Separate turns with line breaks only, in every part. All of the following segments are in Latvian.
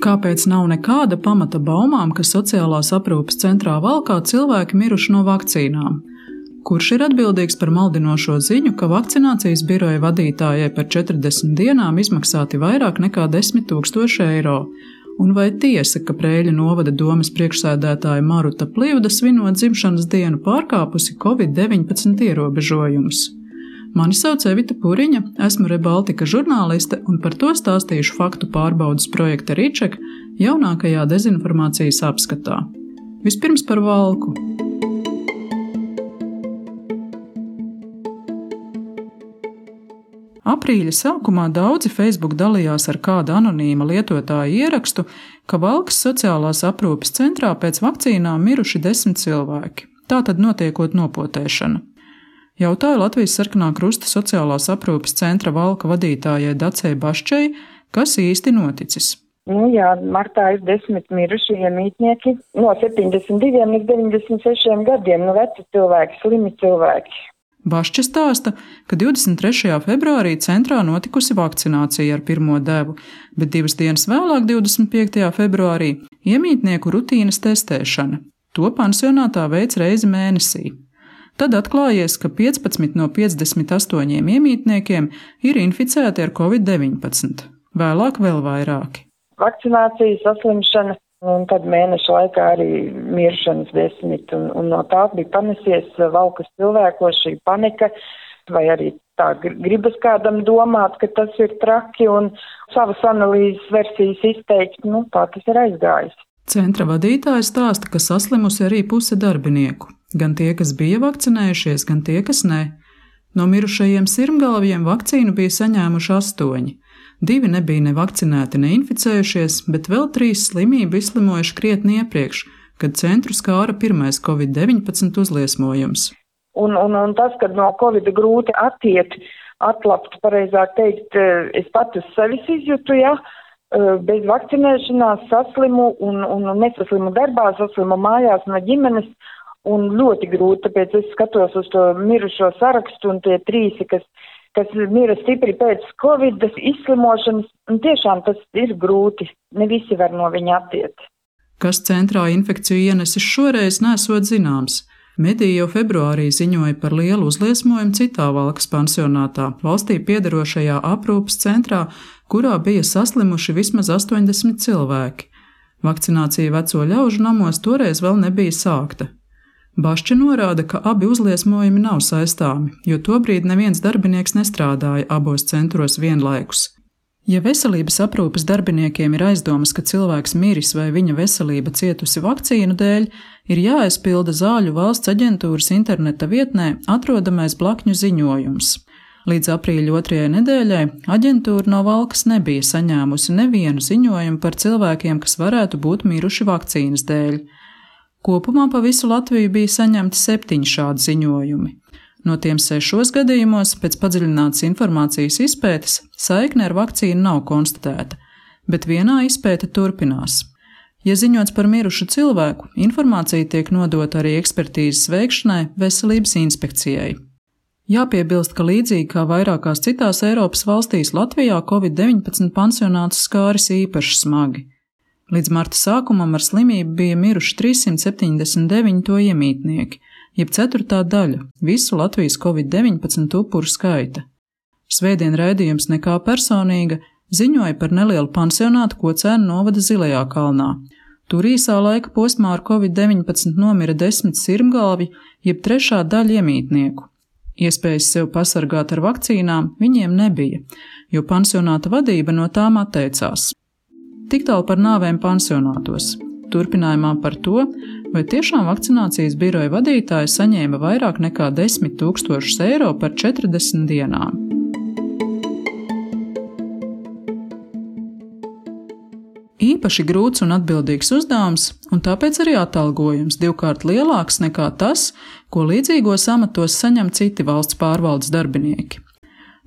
Kāpēc nav nekāda pamata baumām, ka sociālās aprūpes centrā Valkā cilvēki miruši no vakcīnām? Kurš ir atbildīgs par maldinošo ziņu, ka vakcinācijas biroja vadītājai par 40 dienām izmaksāti vairāk nekā 10 000 eiro? Un vai tiesa, ka Preiļu novada domes priekšsēdētāja Maruta Plivda svinot dzimšanas dienu pārkāpusi Covid-19 ierobežojumus? Mani sauc Evita Puriņa, esmu Rebaltika žurnāliste un par to stāstīšu faktu pārbaudes projekta Riček jaunākajā dezinformācijas apskatā. Vispirms par Valku. Aprīļa sākumā daudzi Facebook dalījās ar kāda anonīma lietotāja ierakstu, ka Valkas sociālās aprūpes centrā pēc vakcīnām miruši 10 cilvēki. Tātad notiekot nopotēšana. Jautāju Latvijas Sarkanā Krusta sociālās aprūpes centra Valka vadītājai Dacei Baščai, kas īsti noticis.
Martā ir 10 miruši iemītnieki no 72 līdz 96 gadiem, veci cilvēki, slimi cilvēki.
Bašča stāsta, ka 23. februārī centrā notikusi vakcinācija ar pirmo devu, bet 2 dienas vēlāk, 25. februārī, iemītnieku rutīnas testēšana. To pansionātā veids reizi mēnesī. Tad atklājies, ka 15 no 58 iemītniekiem ir inficēti ar Covid-19, vēlāk vēl vairāki.
Vakcinācija, saslimšana, un tad mēneša laikā arī miršanas 10, un no tā bija panesies Valkas cilvēkos šī panika, vai arī tā gribas kādam domāt, ka tas ir traki un savas analīzes versijas izteikt, tā tas ir aizgājis.
Centra vadītājs stāsta, ka saslimusi arī puse darbinieku. Gan tie, kas bija vakcinējušies, gan tie, kas ne. No mirušajiem sirmgalviem vakcīnu bija saņēmuši 8. 2 nebija nevakcinēti, neinficējušies, bet vēl 3 slimību izslimojuši krietni iepriekš, kad centru skāra pirmais Covid-19 uzliesmojums.
Un tas, kad no Covid grūti atlapt, pareizāk teikt, es pat uz sevis izjūtu, bez vakcinēšanās saslimu un nesaslimu darbā, saslimu mājās no ģimenes. Un ļoti grūti, tāpēc es skatos uz to mirušo sarakstu un tie 3, kas mira stipri pēc Covid izslimošanas, un tiešām tas ir grūti, ne visi var no viņa attiet.
Kas centrā infekciju ienesis šoreiz, nesot zināms. Mediji jau februārī ziņoja par lielu uzliesmojumu citā Valkas pansionātā, valstī piederošajā aprūpes centrā, kurā bija saslimuši vismaz 80 cilvēki. Vakcinācija veco ļaužu namos toreiz vēl nebija sākta. Bašča norāda, ka abi uzliesmojumi nav saistāmi, jo tobrīd neviens darbinieks nestrādāja abos centros vienlaikus. Ja veselības aprūpes darbiniekiem ir aizdomas, ka cilvēks miris vai viņa veselība cietusi vakcīnu dēļ, ir jāaizpilda Zāļu valsts aģentūras interneta vietnē atrodamais blakņu ziņojums. Līdz aprīļa 2. nedēļai aģentūra no Valkas nebija saņēmusi nevienu ziņojumu par cilvēkiem, kas varētu būt miruši vakcīnas dēļ. Kopumā pa visu Latviju bija saņemti 7 šādi ziņojumi. No tiem 6 gadījumos pēc padziļinātas informācijas izpētes saikne ar vakcīnu nav konstatēta, bet vienā izpēte turpinās. Ja ziņots par mirušu cilvēku, informācija tiek nodota arī ekspertīzes veikšanai Veselības inspekcijai. Jāpiebilst, ka līdzīgi kā vairākās citās Eiropas valstīs, Latvijā Covid-19 pansionātus skāris īpaši smagi. Līdz marta sākumam ar slimību bija miruši 379 to iemītnieki, jeb 4. daļa visu Latvijas Covid-19 upuru skaita. Svētdien raidījums Nekā personīga ziņoja par nelielu pansionātu Kocēnu novada Zilajā kalnā. Tur īsā laika posmā ar Covid-19 nomira 10 sirmgalvi, jeb 3. daļa iemītnieku. Iespējas sev pasargāt ar vakcīnām viņiem nebija, jo pansionāta vadība no tām atteicās. Tik tālu par nāvēm pansionātos. Turpinājumā par to, vai tiešām vakcinācijas biroja vadītāja saņēma vairāk nekā 10 000 eiro par 40 dienām. Īpaši grūts un atbildīgs uzdevums, un tāpēc arī atalgojums 2x lielāks nekā tas, ko līdzīgos amatos saņem citi valsts pārvaldes darbinieki.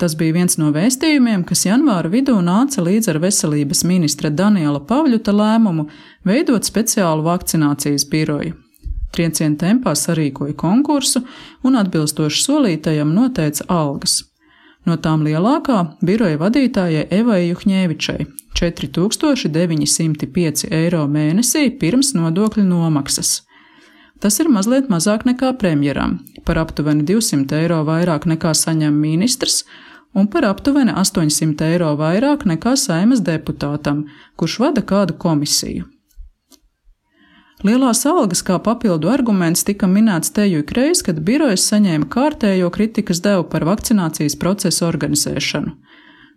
Tas bija viens no vēstījumiem, kas janvāra vidū nāca līdz ar veselības ministra Daniela Pavļuta lēmumu veidot speciālu vakcinācijas biroju. Trieciena tempā sarīkoja konkursu un atbilstoši solītajam noteica algas. No tām lielākā biroja vadītājai Evai Juhņēvičai – 4905 eiro mēnesī pirms nodokļu nomaksas. Tas ir mazliet mazāk nekā premjeram, par aptuveni 200 eiro vairāk nekā saņem ministrs un par aptuveni 800 eiro vairāk nekā Saeimas deputātam, kurš vada kādu komisiju. Lielās algas kā papildu arguments tika minēts teju ikreiz, kad birojas saņēma kārtējo kritikas devu par vakcinācijas procesu organizēšanu.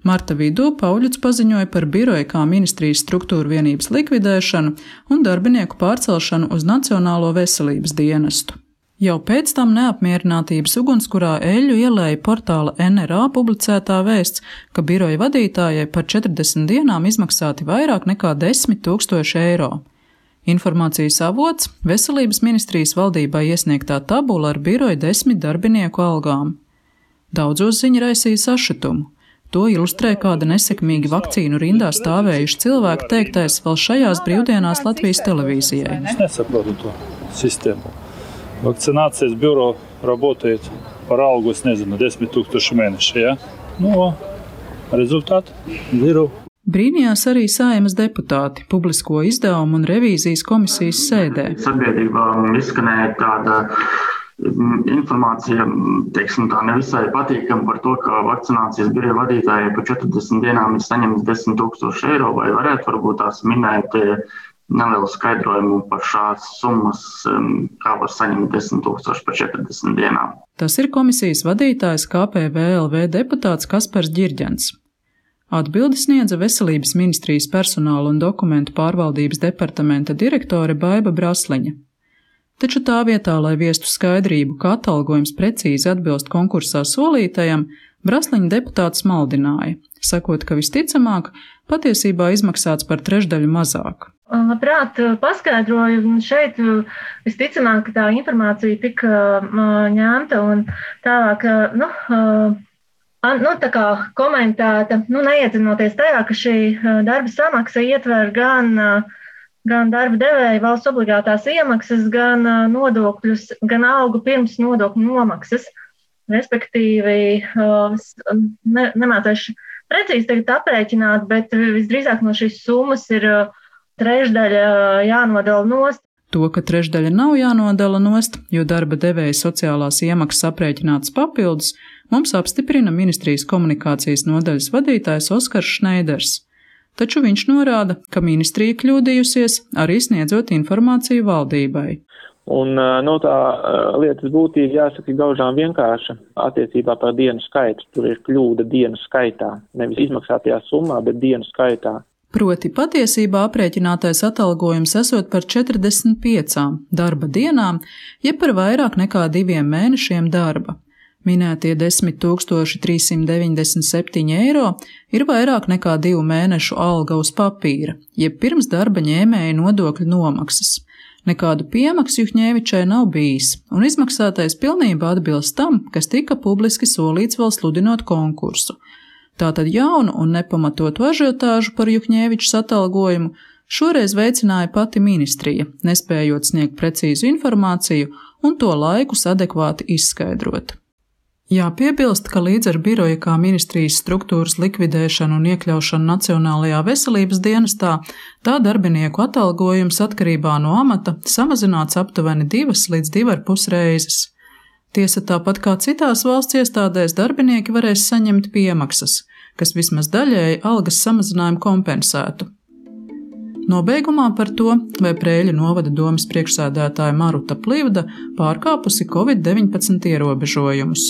Marta vidū Pauļuts paziņoja par biroju kā ministrijas struktūru vienības likvidēšanu un darbinieku pārcelšanu uz Nacionālo veselības dienestu. Jau pēc tam neapmierinātības ugunskurā eļļu ielēja portāla NRA publicētā vēsts, ka biroja vadītājai par 40 dienām izmaksāti vairāk nekā 10 000 eiro. Informācijas avots – Veselības ministrijas valdībai iesniegtā tabula ar biroja 10 darbinieku algām. Daudzos ziņa raisīja sašutumu. To ilustrē kāda nesekmīgi vakcīnu rindā stāvējuši cilvēki teiktais vēl šajās brīvdienās Latvijas televīzijai.
Es nesaprotu to sistēmu. Vakcinācijas biuro работает par algu, es nezinu, 10 000 mēneši, ja? Rezultāti zero.
Brīnījās arī Saeimas deputāti publisko izdevumu un revīzijas komisijas sēdē.
Sabiedrībā izskanēja tāda informācija, teiksim tā, nevisai patīkama par to, ka vakcinācijas biroja vadītājai par 40 dienām ir saņemts 10 000 eiro, vai varētu varbūt tās minēt nelielu skaidrojumu par šādas summas, kā var saņemt 10 000 par 40 dienām.
Tas ir komisijas vadītājs KPVLV deputāts Kaspars Ģirģents. Atbildi sniedza Veselības ministrijas personāla un dokumentu pārvaldības departamenta direktore Baiba Brasliņa. Taču tā vietā, lai viestu skaidrību, ka atalgojums precīzi atbilst konkursā solītajam, Brasliņa deputāts maldināja, sakot, ka visticamāk patiesībā izmaksāts par trešdaļu mazāk.
Labprāt, paskaidroju, šeit visticamāk tā informācija tika ņemta un tālāk, tā kā komentēta, neiedzinoties tajā, ka šī darba samaksa ietver gan darba devēja valsts obligātās iemaksas, gan nodokļus, gan algu pirms nodokļu nomaksas. Respektīvi, nemācēšu precīzi tagad aprēķināt, bet visdrīzāk no šīs summas ir trešdaļa jānodala nost.
To, ka trešdaļa nav jānodala nost, jo darba devēja sociālās iemaksas aprēķinātas papildus, mums apstiprina ministrijas komunikācijas nodaļas vadītājs Oskars Šneiders. Taču viņš norāda, ka ministrija kļūdījusies, arī sniedzot informāciju valdībai.
Un tā lietas būtība jāsaka gaužām vienkārša attiecībā par dienu skaitu. Tur ir kļūda dienu skaitā, nevis izmaksātajā summā, bet dienu skaitā.
Proti patiesībā aprēķinātais atalgojums esot par 45 darba dienām, jeb par vairāk nekā 2 mēnešiem darba. Minētie 10 397 eiro ir vairāk nekā 2 mēnešu alga uz papīra, jeb pirms darba ņēmēja nodokļu nomaksas. Nekādu piemaksu Juhņēvičai nav bijis, un izmaksātais pilnībā atbilst tam, kas tika publiski solīts vēl sludinot konkursu. Tātad jaunu un nepamatotu ažiotāžu par Juhņēvičas atalgojumu šoreiz veicināja pati ministrija, nespējot sniegt precīzu informāciju un to laikus adekvāti izskaidrot. Jāpiebilst, ka līdz ar biroja kā ministrijas struktūras likvidēšanu un iekļaušanu Nacionālajā veselības dienestā, tā darbinieku atalgojums atkarībā no amata samazināts aptuveni 2 līdz 2,5 reizes. Tiesa tāpat kā citās valsts iestādēs darbinieki varēs saņemt piemaksas, kas vismaz daļēji algas samazinājumu kompensētu. Nobeigumā par to, vai Preiļu novada domes priekšsēdētāja Maruta Plivda pārkāpusi Covid-19 ierobežojumus.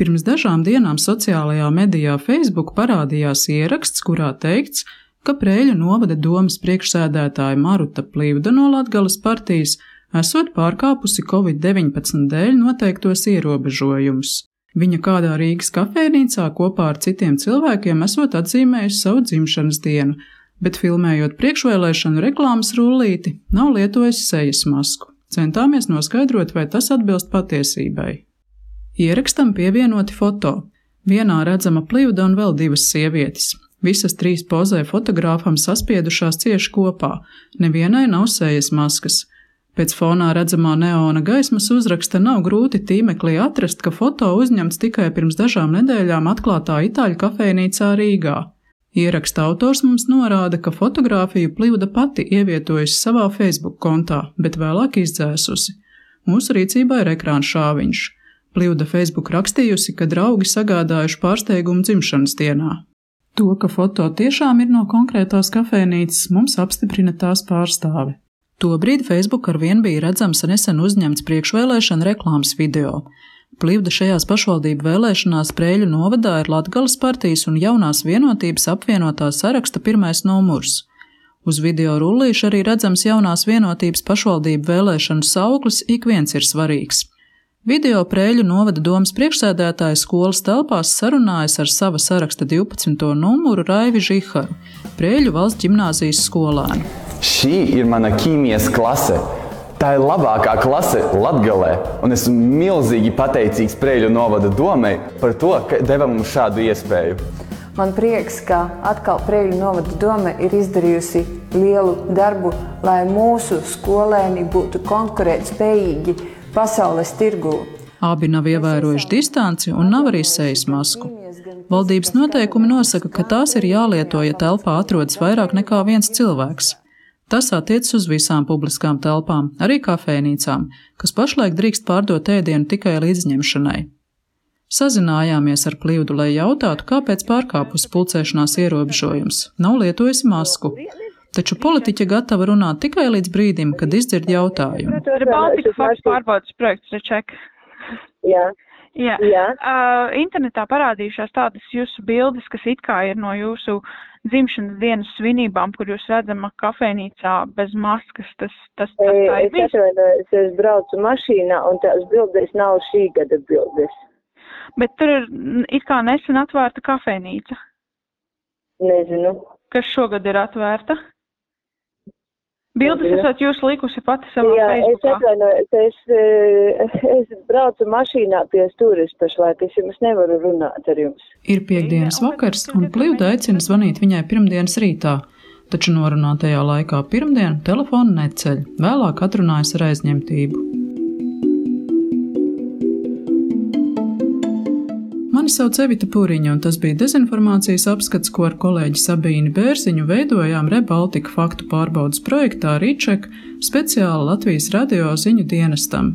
Pirms dažām dienām sociālajā medijā Facebook parādījās ieraksts, kurā teikts, ka Preiļu novada domes priekšsēdētāja Maruta Plivda no Latgales partijas esot pārkāpusi Covid-19 dēļ noteiktos ierobežojumus. Viņa kādā Rīgas kafejnīcā kopā ar citiem cilvēkiem esot atzīmējusi savu dzimšanas dienu, bet filmējot priekšvēlēšanu reklāmas rullīti, nav lietojusi sejas masku. Centāmies noskaidrot, vai tas atbilst patiesībai. Ierakstam pievienoti foto. Vienā redzama Plivda un vēl 2 sievietes. Visas 3 pozē fotogrāfam saspiedušās cieši kopā. Nevienai nav sejas maskas. Pēc fonā redzamā neona gaismas uzraksta nav grūti tīmeklī atrast, ka foto uzņemts tikai pirms dažām nedēļām atklātā itāļu kafejnīcā Rīgā. Ieraksta autors mums norāda, ka fotogrāfiju Pļivda pati ievietojusi savā Facebook kontā, bet vēlāk izdzēsusi. Mūsu rīcībā ir ekrāna šāviņš. Pļivda Facebook rakstījusi, ka draugi sagādājuši pārsteigumu dzimšanas dienā. To, ka foto tiešām ir no konkrētās kafejnīcas, mums apstiprina tās pārstāve. Tobrīd Facebook arvien bija redzams nesen uzņemts priekšvēlēšana reklāmas video. Pļivda šajās pašvaldību vēlēšanās Preiļu novadā ir Latgales partijas un Jaunās vienotības apvienotā saraksta pirmais numurs. Uz video rullīša arī redzams Jaunās vienotības pašvaldību vēlēšanu sauklis Ik viens ir svarīgs. Video Preiļu novada domas priekšsēdētāja skolas telpās sarunājas ar sava saraksta 12. numuru Raivi Žiharu, Preiļu valsts ģimnāzijas skolēnu.
Šī ir mana ķīmijas klase. Tā ir labākā klase Latgalē, un esmu milzīgi pateicīgs Preiļu novada domai par to, ka deva mums šādu iespēju.
Man prieks, ka atkal Preiļu novada doma ir izdarījusi lielu darbu, lai mūsu skolēni būtu konkurētspējīgi pasaules tirgū.
Abi nav ievērojuši distanci un nav arī sejas masku. Valdības noteikumi nosaka, ka tās ir jālieto, ja telpā atrodas vairāk nekā viens cilvēks. Tas attiecas uz visām publiskām telpām, arī kafejnīcām, kas pašlaik drīkst pārdot ēdienu tikai līdzņemšanai. Sazinājāmies ar Pļivdu, lai jautātu, kāpēc pārkāpus pulcēšanās ierobežojums, nav lietojusi masku. Taču politiķe gatava runāt tikai līdz brīdim, kad izdzird jautājumu.
Ir Baltika faktu pārbaudas projekts Reček.
Jā.
Internetā parādījušās tādas jūsu bildes, kas it kā ir no jūsu dzimšanas dienas svinībām, kur jūs redzama kafejnīcā bez maskas. Tas tā ir bijis?
Es braucu mašīnā un tās bildes nav šī gada bildes.
Bet tur ir it kā nesen atvērta kafejnīca.
Nezinu.
Kas šogad ir atvērta? Bildes esat jūs likusi pati savā Facebookā.
Es braucu mašīnā pie stūres pašlaik, es jums nevaru runāt ar jums.
Ir piektdienas vakars, un Pļivda aicina zvanīt viņai pirmdienas rītā, taču norunātajā laikā pirmdien telefonu neceļ, vēlāk atrunājas ar aizņemtību. Mani sauc Evita Puriņa, un tas bija dezinformācijas apskats, ko ar kolēģi Sabīni Bērziņu veidojām ReBaltika faktu pārbaudas projektā Rīček speciāli Latvijas radio ziņu dienestam.